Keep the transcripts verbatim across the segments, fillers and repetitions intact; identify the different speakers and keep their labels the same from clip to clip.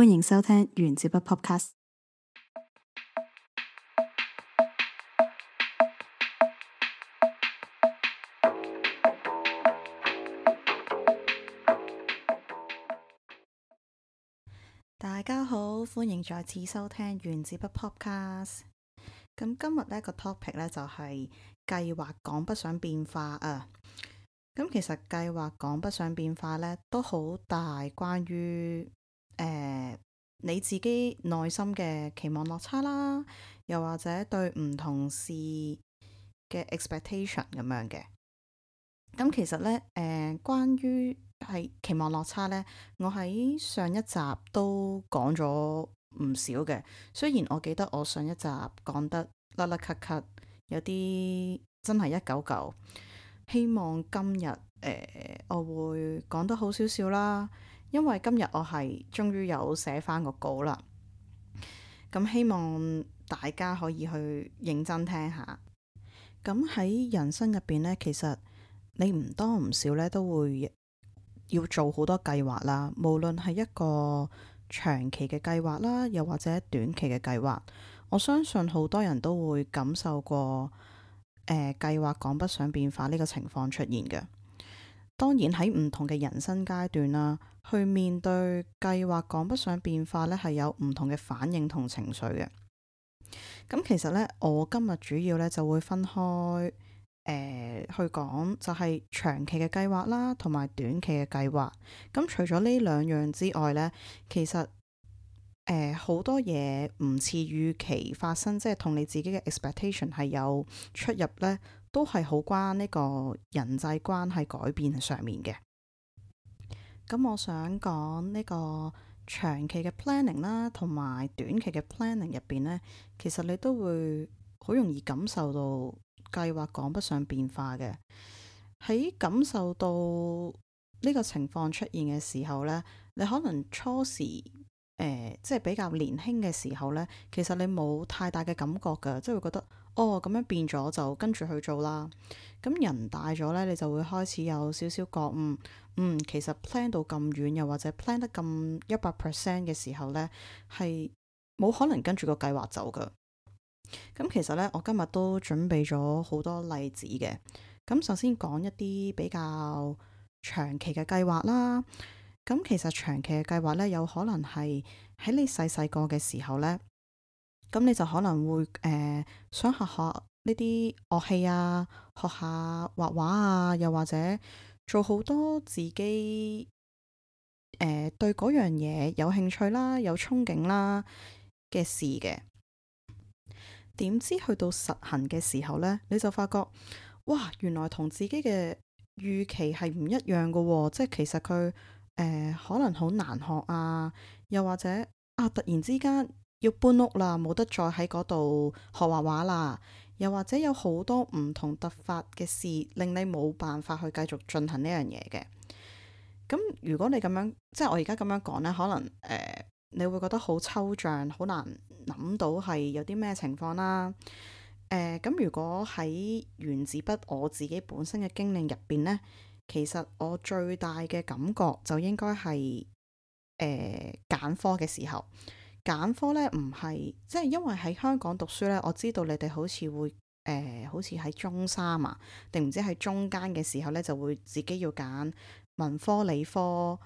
Speaker 1: 歡迎收聽原子筆 Podcast。大家好，歡迎再次收聽原子筆 Podcast。咁今日呢個 topic 呢，就係計劃趕不上變化啊。咁其實計劃趕不上變化呢，都好大關於誒、呃、你自己內心嘅期望落差啦，又或者對唔同事嘅 expectation 咁樣嘅。咁其實呢，誒、呃、關於係期望落差呢，我喺上一集都講咗唔少嘅。雖然我記得我上一集講得甩甩咳咳，有啲真係一嚿嚿。希望今日誒、呃、我會講得好少少啦，因為今日我係終於有寫翻個稿啦。咁希望大家可以去認真聽下。咁喺人生入邊呢，其實你唔多唔少咧都會要做好多計劃啦，無論係一個長期嘅計劃啦，又或者短期嘅計劃。我相信好多人都會感受過誒、呃、計劃趕不上變化呢個情況出現嘅。當然喺唔同嘅人生階段啦，去面對計劃趕不上變化呢，係有唔同嘅反應同情緒嘅。咁其實呢，我今日主要呢就會分開誒、呃、去講，就係長期嘅計劃啦，同埋短期嘅計劃。咁除咗呢兩樣之外呢，其實誒好、呃、多嘢唔似預期發生，即係同你自己嘅 expectation 係有出入呢，都係好關呢個人際關係改變上面嘅。咁我想講呢個長期嘅 planning 啦，同埋短期嘅 planning 入邊呢，其實你都會好容易感受到計劃趕不上變化嘅。喺感受到呢個情況出現嘅時候呢，你可能初時誒、呃、即係比較年輕嘅時候呢，其實你冇太大嘅感覺㗎，即係會覺得哦，咁樣變咗就跟住去做啦。咁人大咗呢，你就會開始有少少覺悟，嗯，其實 plan 到咁遠，又或者 plan 得咁一百 percent 嘅時候呢，係冇可能跟住個計劃走㗎。咁其實呢，我今日都準備咗好多例子嘅。咁首先講一啲比較長期嘅計劃啦。咁其實長期嘅計劃呢，有可能係喺你細細個嘅時候呢，咁你就可能會誒、呃、想學學呢啲樂器啊，學下畫畫啊，又或者做好多自己誒、呃、對嗰樣嘢有興趣啦、有憧憬啦嘅事嘅。點知去到實行嘅時候呢，你就發覺，哇，原來同自己嘅預期係唔一樣㗎喎。即係其實佢誒、呃、可能好難學啊，又或者啊突然之間要搬屋啦，冇得再喺嗰度學畫畫啦，又或者有好多唔同突發嘅事，令你冇辦法去繼續進行呢樣嘢嘅。咁如果你咁樣，即係我而家咁樣講呢，可能誒、呃、你會覺得好抽象，好難諗到係有啲咩情況啦。誒、呃、咁如果喺原子筆我自己本身嘅經歷入邊呢，其實我最大嘅感覺就應該係誒揀科嘅時候。揀科呢唔係即係因為喺香港讀書呢，我知道你哋好似會誒、呃、好似喺中三啊，定唔知喺中間嘅時候呢，就會自己要揀文科、理科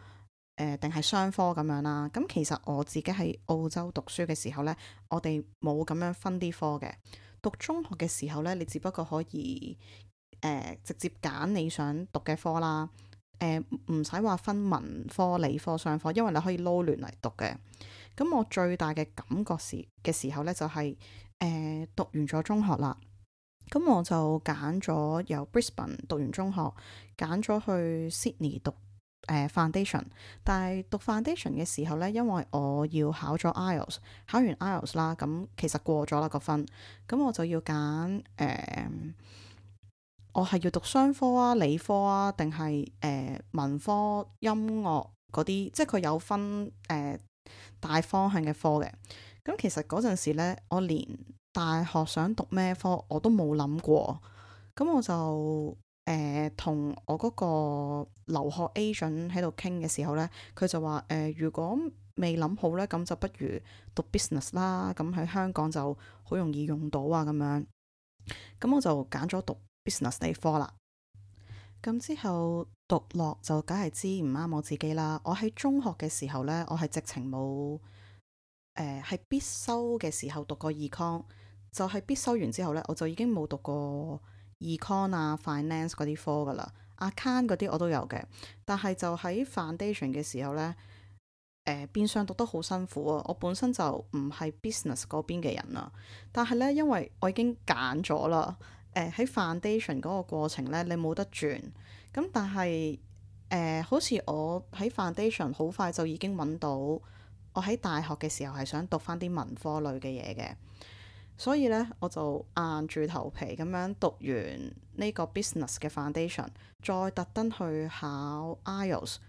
Speaker 1: 誒定係商科咁樣啦。咁其實我自己喺澳洲讀書嘅時候呢，我哋冇咁樣分啲科嘅。讀中學嘅時候呢，你只不過可以誒、呃、直接揀你想讀嘅科啦。誒唔使話分文科、理科、商科，因為你可以撈亂嚟讀嘅。咁我最大嘅感覺時嘅時候呢，就係、是、誒、呃、讀完咗中學啦。咁我就揀咗由 Brisbane 讀完中學，揀咗去 Sydney 讀誒、呃、Foundation。但係讀 Foundation 嘅時候呢，因為我要考咗 I E L T S， 考完 I E L T S 啦，咁其實過咗啦個分，咁我就要揀誒、呃，我係要讀商科啊、理科啊，定係誒文科、音樂嗰啲，即係佢有分誒、呃大方向嘅科嘅。咁其實嗰陣時呢，我連大學想讀咩科我都冇諗過。咁我就誒同我嗰個留學 agent 喺度傾嘅時候呢，佢就話誒、呃、如果未諗好呢，咁就不如讀 business 啦，咁喺香港就好容易用到啊咁樣。咁我就揀咗讀 business 呢科啦。咁之後讀落就梗係知唔啱我自己啦。我喺中學嘅時候呢，我係直情冇誒係必修嘅時候讀過 econ，就係必修完之後呢，我就已經冇讀過 econ 啊 finance 嗰啲科噶啦，account 嗰啲我都有嘅，但係就喺 foundation 嘅時候呢，誒、呃、變相讀得好辛苦啊！我本身就唔係 business 嗰邊嘅人啦，但係呢，因為我已經揀咗啦。誒、呃、喺 foundation 嗰個過程呢，你冇得轉。咁但係誒、呃，好似我喺 foundation 好快就已經揾到，我喺大學嘅時候係想讀翻啲文科類嘅嘢嘅，所以呢，我就硬住頭皮咁樣讀完呢個 business 嘅 foundation，再特登去考 I E L T S，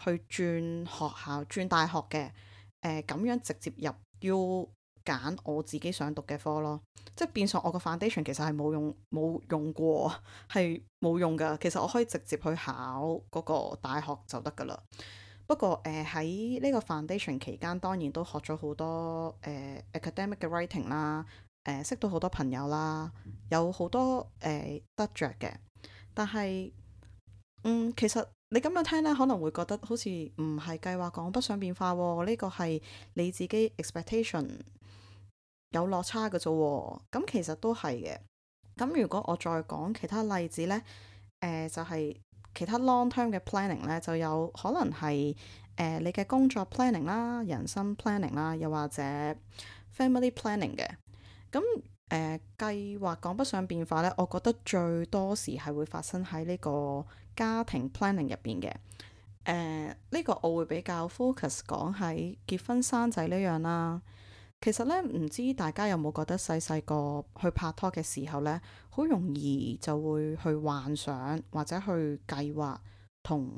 Speaker 1: 去轉學校轉大學嘅。誒、呃、咁樣直接入要揀我自己想讀嘅科咯，即係變相我個 foundation 其實係冇用冇用過，係冇用噶。其實我可以直接去考嗰個大學就得噶啦。不過誒喺呢個 foundation 期間，當然都學咗好多誒、呃、academic 嘅 writing 啦，誒、呃、識到好多朋友啦，有好多誒、呃、得着嘅。但係嗯，其實你咁樣聽咧，可能會覺得好似唔係計劃趕不上變化喎，呢個係你自己 expectation 有落差嘅啫喎。咁其實都係嘅。咁如果我再講其他例子呢，誒、呃、就係、是、其他 long term 嘅 planning 呢，就有可能係誒、呃、你嘅工作 planning 啦、人生 planning 啦，又或者 family planning 嘅。咁誒、呃、計劃趕不上變化呢，我覺得最多時係會發生喺呢個家庭 planning 入邊嘅。誒、呃、呢、呢個我會比較 focus 講喺結婚生仔呢樣啦。其實咧，唔知大家有冇覺得細細個去拍拖嘅時候呢，好容易就會去幻想或者去計劃同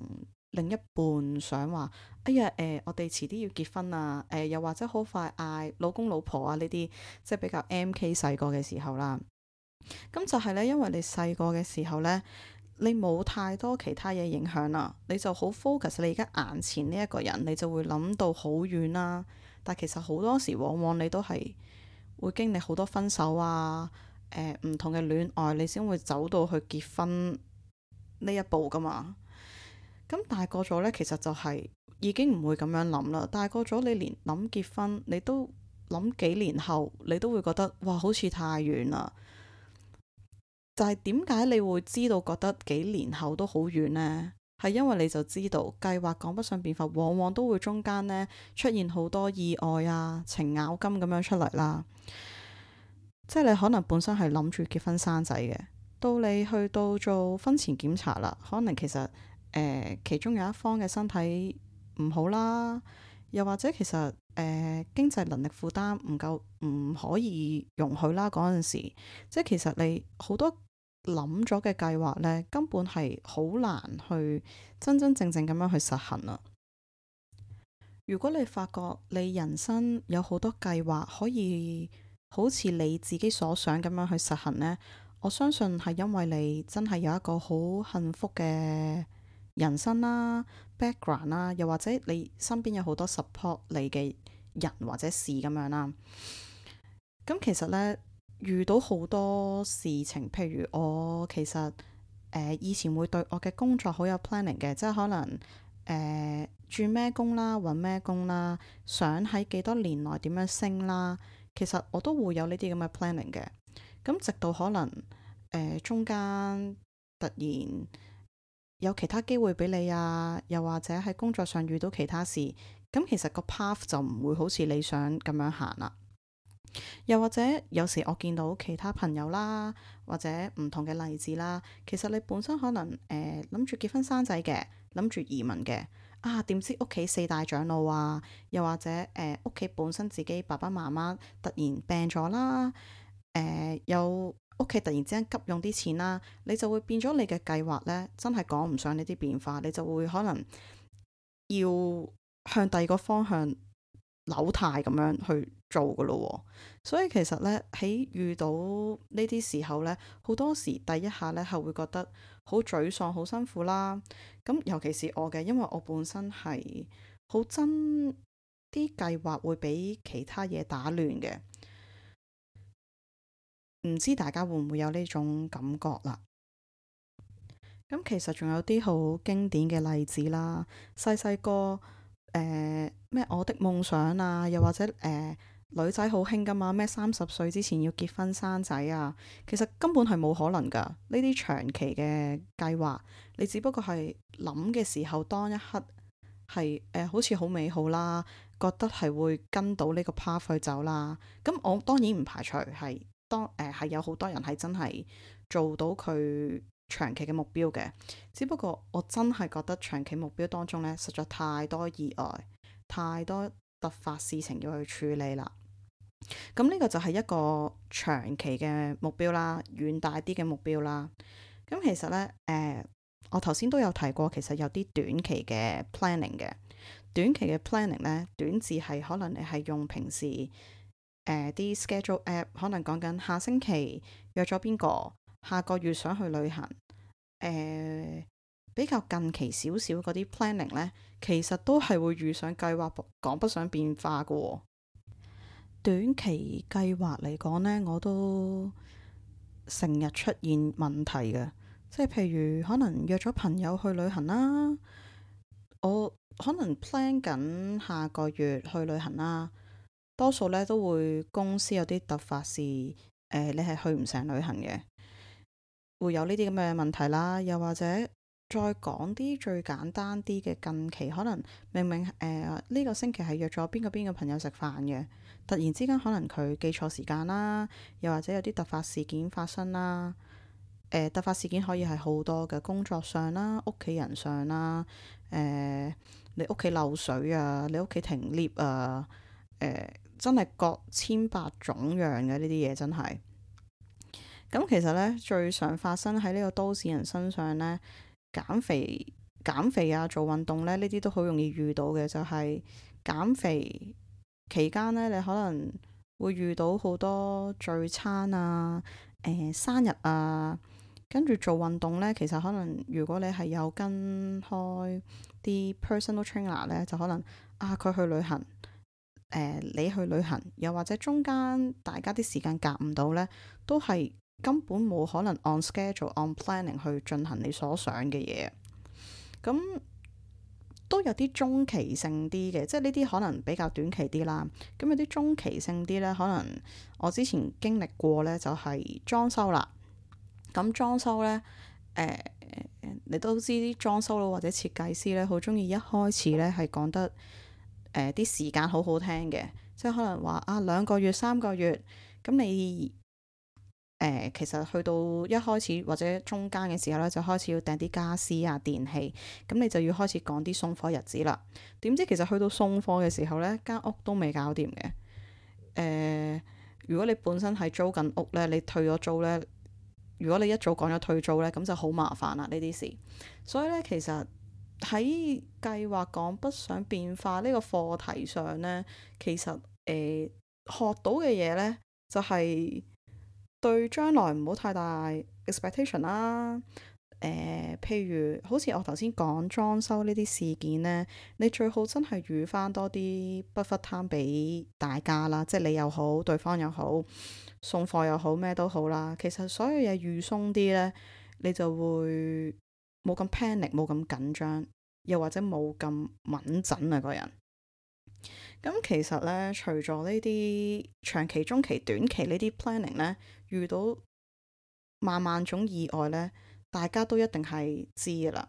Speaker 1: 另一半想話，哎呀，誒、呃，我哋遲啲要結婚啊，誒、呃，又或者好快嗌老公老婆啊呢啲，即係比較 M K 細個嘅時候啦。咁就係咧，因為你細個嘅時候呢，你冇太多其他嘢影響啦，你就好 focus 你而家眼前呢一個人，你就會諗到好遠啦。但其實好多時，往往你都係會經歷好多分手啊，誒、呃、唔同嘅戀愛，你先會走到去結婚呢一步噶嘛。咁大個咗呢，其實就係已經唔會咁樣諗啦。大個咗，你連諗結婚，你都諗幾年後，你都會覺得哇，好似太遠啦。就係點解你會知道覺得幾年後都好遠呢？係因為你就知道計劃趕不上變化，往往都會中間呢出現好多意外啊、程咬金咁樣出嚟啦。即係你可能本身係諗住結婚生仔嘅，到你去到做婚前檢查啦，可能其實誒、呃、其中有一方嘅身體唔好啦，又或者其實誒、呃、經濟能力負擔唔夠，唔可以容許啦。嗰陣時，即係其實你好多諗咗嘅計劃呢，根本係好難去真真正正咁樣去實行啊。如果你發覺你人生有好多計劃可以好似你自己所想咁樣去實行呢，我相信係因為你真係有一個好幸福嘅人生啦、background 啦，又或者你身邊有好多 support 你嘅人或者事咁樣啦。咁其實呢，遇到好多事情，譬如我其實誒、呃、以前會對我嘅工作好有 planning 嘅，即係可能誒、呃、轉咩工啦、揾咩工啦、想喺幾多年內點樣升啦，其實我都會有呢啲咁嘅 planning 嘅。咁直到可能誒、呃、中間突然有其他機會俾你啊，又或者喺工作上遇到其他事，咁其實個 path 就唔會好似你想咁樣行啦。又或者有時我見到其他朋友啦，或者唔同嘅例子啦，其實你本身可能誒諗住結婚生仔嘅，諗住移民嘅，啊點知屋企四大長老啊，又或者誒屋企本身自己爸爸媽媽突然病咗啦，誒、呃、有屋企突然之間急用啲錢啦，你就會變咗你嘅計劃呢，真係講唔上呢啲變化，你就會可能要向第二個方向扭態咁樣去做噶咯。所以其實呢，喺遇到呢啲時候呢，好多時第一下呢係會覺得好沮喪、好辛苦啦。咁尤其是我嘅，因為我本身係好憎啲計劃會俾其他嘢打亂嘅。唔知大家會唔會有呢種感覺啦？咁其實仲有啲好經典嘅例子啦，細細個誒咩我的夢想啊，又或者誒、呃、女仔好興噶嘛，咩三十歲之前要結婚生仔啊，其實根本係冇可能噶。呢啲長期嘅計劃，你只不過係諗嘅時候，當一刻係誒、呃、好似好美好啦，覺得係會跟到呢個 path 去走啦。咁我當然唔排除係當誒係、呃、有好多人係真係做到佢長期嘅目標嘅，只不過我真係覺得長期目標當中呢，實在太多意外，太多突發事情要去處理啦。咁呢個就係一個長期嘅目標啦，遠大啲嘅目標啦。咁其實呢，誒、呃，我頭先都有提過，其實有啲短期嘅 planning 嘅。短期嘅 planning 呢，短字係可能你係用平時誒啲、呃、schedule app，可能講緊下星期約咗邊個，下個月想去旅行。誒、呃、比較近期少少嗰啲 planning 呢，其實都係會遇上計劃趕不上變化嘅喎。短期計劃嚟講呢，我都成日出現問題嘅，即係譬如可能約咗朋友去旅行啦，我可能 plan 緊下個月去旅行啦，多數呢都會公司有啲突發事，誒、呃、你係去唔成旅行嘅。會有呢啲咁嘅問題啦，又或者再講啲最簡單啲嘅近期，可能明明誒呢、呃呢個星期係約咗邊個邊個朋友食飯嘅，突然之間可能佢記錯時間啦，又或者有啲突發事件發生啦。誒、呃、突發事件可以係好多嘅，工作上啦、屋企人上啦，誒、呃、你屋企漏水啊，你屋企停 lift 啊，誒、呃、真係各千百種樣嘅呢啲嘢真係。咁其實咧，最常發生喺呢個都市人身上咧，減肥、減肥啊，做運動咧，呢啲都好容易遇到嘅。就係減肥期間咧，你可能會遇到好多聚餐啊、誒、呃、生日啊，跟住做運動咧，其實可能如果你係有跟開啲 personal trainer 咧，就可能啊佢去旅行，誒、呃、你去旅行，又或者中間大家啲時間夾唔到咧，都係。根本冇可能 on schedule on planning 去進行你所想嘅嘢，咁都有啲中期性啲嘅，即係呢啲可能比較短期啲啦。咁有啲中期性啲呢，可能我之前經歷過呢，就係裝修啦。咁裝修呢，誒、呃，你都知啲裝修佬或者設計師呢，好中意一開始呢係講得誒啲、呃、時間好好聽嘅，即係可能話啊兩個月三個月，咁你。誒、呃，其實去到一開始或者中間嘅時候咧，就開始要訂啲家私啊、電器，咁你就要開始講啲送貨日子啦。點知其實去到送貨嘅時候呢，間屋都未搞掂嘅。誒、呃，如果你本身係租緊屋呢，你退咗租呢，如果你一早講咗退租呢，咁就好麻煩啦呢啲事。所以呢，其實喺計劃趕不上變化呢個課題上呢，其實誒、呃、學到嘅嘢呢，就係、是。對將來唔好太大 expectation 啦。誒、呃，譬如好似我頭先講裝修呢啲事件呢，你最好真係預翻多啲 buffer time 俾大家啦，即係你又好，對方又好，送貨又好，咩都好啦。其實所有嘢預鬆啲呢，你就會冇咁 panic，冇咁緊張，又或者冇咁敏陣啊個人。咁其實咧，除咗呢啲長期、中期、短期呢啲 planning 咧，遇到萬萬種意外咧，大家都一定係知㗎啦。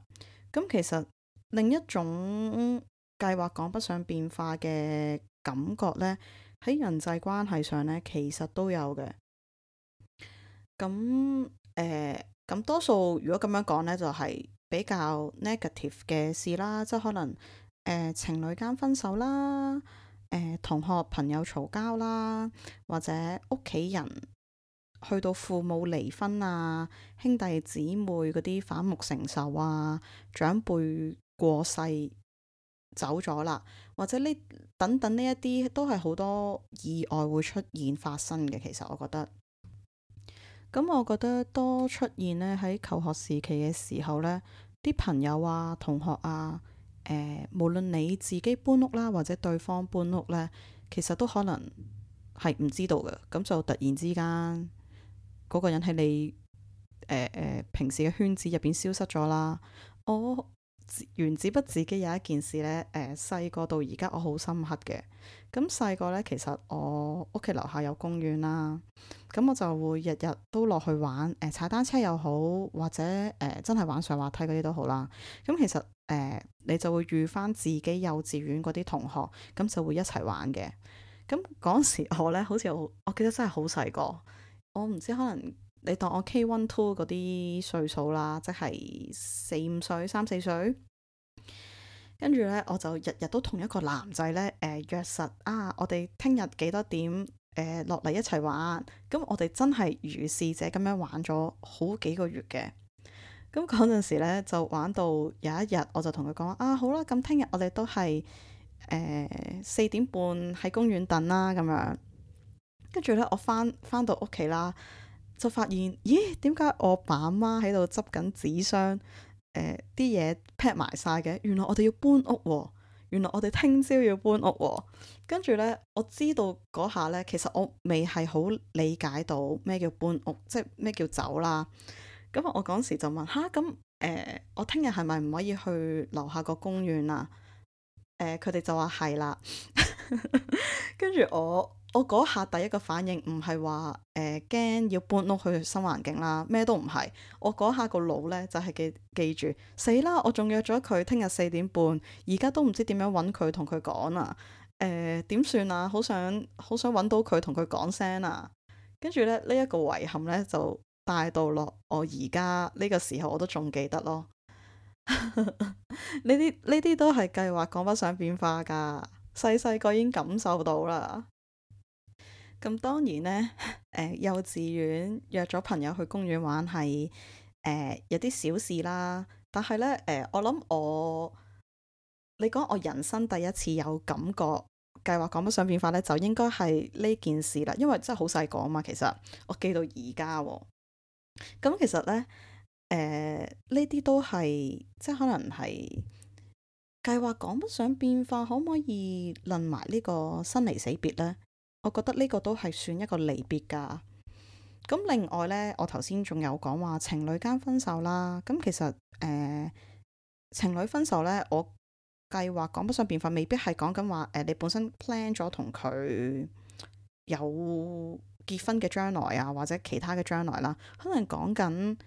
Speaker 1: 咁其實另一種計劃趕不上變化嘅感覺咧，喺人際關係上咧，其實都有嘅。咁誒，咁多數如果咁樣講咧，就係比較 negative 嘅事啦，即係可能誒情侶間分手啦。誒、呃、同學朋友嘈交啦，或者屋企人去到父母離婚啊，兄弟姊妹嗰啲反目成仇啊，長輩過世走咗啦，或者呢等等呢一啲都係好多意外會出現發生嘅。其實我覺得，咁我覺得多出現呢喺求學時期嘅時候呢，啲朋友啊、同學啊，誒、呃，無論你自己搬屋啦，或者對方搬屋呢，其實都可能係唔知道嘅。咁就突然之間嗰個人喺你誒誒、呃呃、平時嘅圈子入邊消失咗啦。我原子筆自己有一件事呢，誒細個到而家我好深刻嘅。咁細個呢，其實我屋企樓下有公園啦，咁我就會日日都落去玩，誒、呃、踩單車又好，或者誒、呃、真係玩上滑梯嗰啲都好啦。咁其實誒、呃、你就會遇翻自己幼稚園嗰啲同學，咁就會一齊玩嘅。咁嗰時我呢，好似我我記得真係好細個，我唔知可能。你當我 K 一 two 嗰啲歲數啦，即係四五歲、三四歲，跟住呢，我就日日都同一個男仔呢，誒、呃、約實啊，我哋聽日幾多點誒落嚟一齊玩。咁我哋真係如是者咁樣玩咗好幾個月嘅。咁嗰陣時呢，就玩到有一日，我就同佢講啊，好啦，咁聽日我哋都係誒四點半喺公園等啦，咁樣。跟住呢，我翻翻到屋企啦。就發現，咦？點解我爸阿媽喺度執緊紙箱？誒啲嘢 pack 埋晒嘅。原來我哋要搬屋喎。原來我哋聽朝要搬屋喎。跟住呢，我知道嗰下呢，其實我未係好理解到咩叫搬屋，即係咩叫走啦。咁我嗰時就問吓，咁誒，我聽日係咪唔可以去樓下個公園啊？誒，佢哋就話係啦。跟住我。我嗰下第一個反應唔係話誒驚要搬屋去新環境啦，咩都唔係。我嗰下個腦呢，就係、是、記記住，死啦！我仲約咗佢聽日四點半，而家都唔知點樣揾佢同佢講啊。誒、呃、點算啊？好想好想揾到佢同佢講聲啊！跟住咧呢一、這個遺憾呢，就帶到落我而家呢個時候，我都仲記得咯。呢啲呢啲都係計劃趕不上變化㗎，細細個已經感受到啦。咁當然呢，誒、呃、幼稚園約咗朋友去公園玩係誒、呃、有啲小事啦，但係呢，誒、呃、我諗我你講我人生第一次有感覺計劃趕不上變化呢，就應該係呢件事啦，因為真係好細個啊嘛，其實我記到而家喎。咁其實呢，誒呢啲都係即係可能係計劃趕不上變化，可唔可以論埋呢個生離死別呢？我覺得呢個都係算一個離別㗎。咁另外呢，我頭先仲有講話情侶間分手啦。咁其實誒、呃、情侶分手呢，我計劃趕不上變化，未必係講緊話誒你本身 plan 咗同佢有結婚嘅將來啊，或者其他嘅將來啦。可能講緊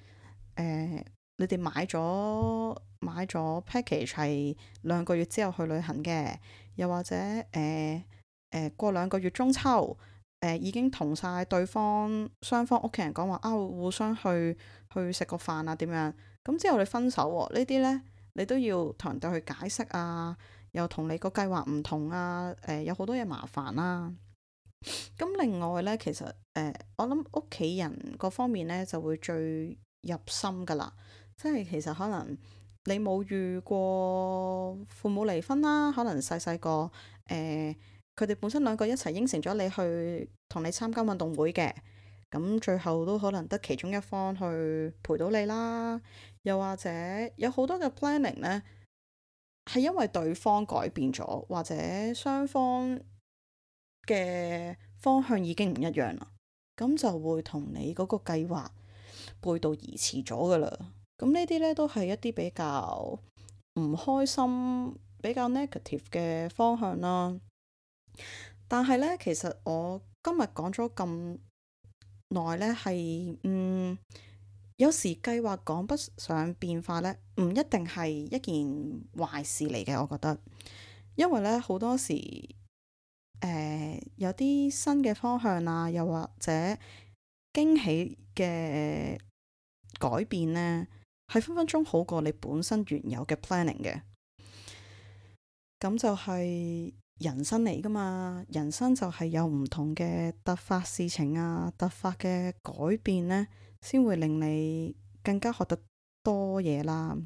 Speaker 1: 誒你哋買咗買咗 package 係兩個月之後去旅行嘅，又或者誒。呃誒、呃，過兩個月中秋，誒、呃、已經同晒對方雙方屋企人講話啊，互相去去食個飯啊，點樣？咁之後你分手喎、啊，呢啲呢，你都要同人哋去解釋啊，又同你個計劃唔同啊，誒、呃、有好多嘢麻煩啦、啊。咁另外呢，其實誒、呃、我諗屋企人嗰方面呢，就會最入心噶啦，即係其實可能你冇遇過父母離婚啦，可能細細個誒。呃佢哋本身兩個一齊應承咗你去同你參加運動會嘅，咁最後都可能得其中一方去陪到你啦。又或者有好多嘅 planning 呢，係因為對方改變咗，或者雙方嘅方向已經唔一樣啦，咁就會同你嗰個計劃背道而馳咗噶啦。咁呢啲呢，都係一啲比較唔開心、比較 negative 嘅方向啦。但係咧，其實我今日講咗咁耐咧，係嗯，有時計劃趕不上變化咧，唔一定係一件壞事嚟嘅。我覺得，因為咧好多時，誒、呃、有啲新嘅方向啊，又或者驚喜嘅改變咧，係分分鐘好過你本身原有嘅 planning 嘅。咁就係、是。人生嚟噶嘛，人生就係有唔同嘅突發事情啊，突發嘅改變呢，先會令你更加學得多嘢啦。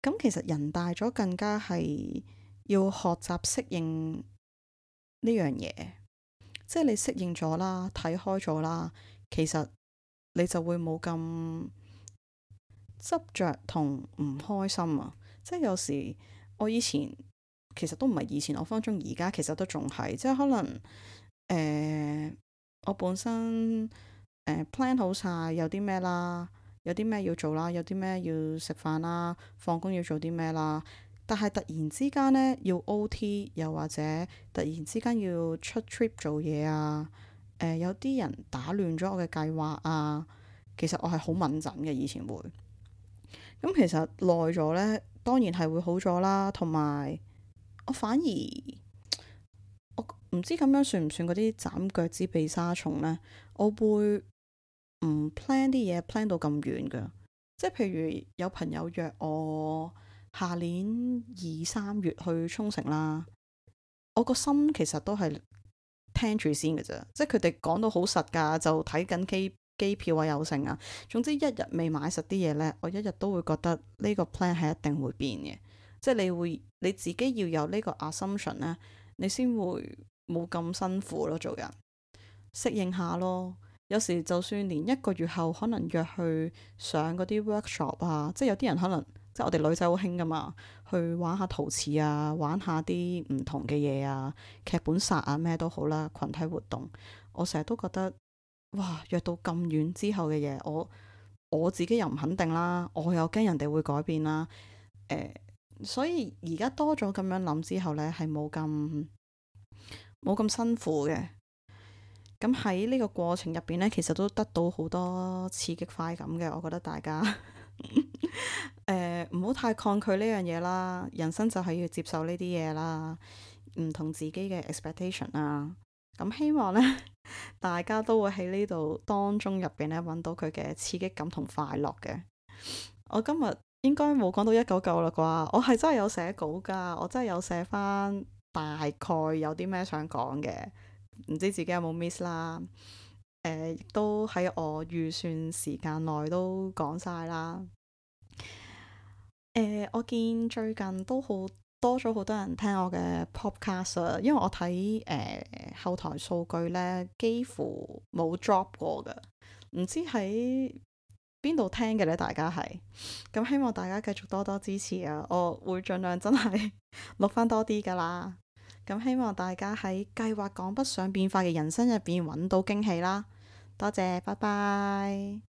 Speaker 1: 咁其實人大咗更加係要學習適應呢樣嘢，即係你適應咗啦，睇開咗啦，其實你就會冇咁執着同唔開心啊！即係有時我以前其實都唔係以前，我分分鐘而家其實都仲係，即係可能誒、呃，我本身誒、呃、plan 好晒有啲咩啦，有啲咩要做啦，有啲咩要食飯啦，放工要做啲咩啦。但係突然之間呢，要 O T，又或者突然之間要出 trip 做嘢啊，誒、呃、有啲人打亂咗我嘅計劃啊，其實我係好敏感嘅，以前會。咁其實耐咗呢，當然係會好咗啦，同埋我反而我唔知咁樣算唔算嗰啲斬腳趾避沙蟲呢？我會唔 plan 啲嘢 plan 到咁遠噶，即係譬如有朋友約我下年二三月去沖繩啦，我個心其實都係聽住先嘅啫，即係佢哋講到好實噶，就睇緊機機票啊有剩啊，總之一日未買實啲嘢呢，我一日都會覺得呢個 plan 係一定會變嘅，即係你會你自己要有呢個 assumption 呢，你先會冇咁辛苦咯，做人適應下咯。有時就算連一個月後可能約去上嗰啲 workshop 啊，即係有啲人可能即係我哋女仔好興噶嘛，去玩下陶瓷啊，玩下啲唔同嘅嘢啊，劇本殺啊咩都好啦，群體活動，我成日都覺得哇，約到咁遠之後嘅嘢，我我自己又唔肯定啦，我又驚人哋會改變啦，誒，所以而家多咗咁樣諗之後呢，係冇咁冇咁辛苦嘅。咁喺呢個過程入邊呢，其實都得到好多刺激快感嘅。我覺得大家誒唔好太抗拒呢樣嘢啦。人生就係要接受呢啲嘢啦，唔同自己嘅 expectation 啦。咁希望呢，大家都會喺呢度當中入邊呢揾到佢嘅刺激感同快樂嘅。我今日應該冇講到一九九啦啩？我係真係有寫稿噶，我真係有寫翻大概有啲咩想講嘅。唔知自己有冇 miss 啦，誒、呃，亦都喺我預算時間內都講晒啦。誒、呃，我見最近都好多咗好多人聽我嘅 podcast 啊，因為我睇誒、呃、後台數據呢，幾乎冇 drop 過㗎，唔知喺邊度聽嘅呢？大家係咁，希望大家繼續多多支持啊！我會盡量真係錄翻多啲噶啦。咁希望大家喺計劃趕不上變化嘅人生入邊揾到驚喜啦！多謝，拜拜。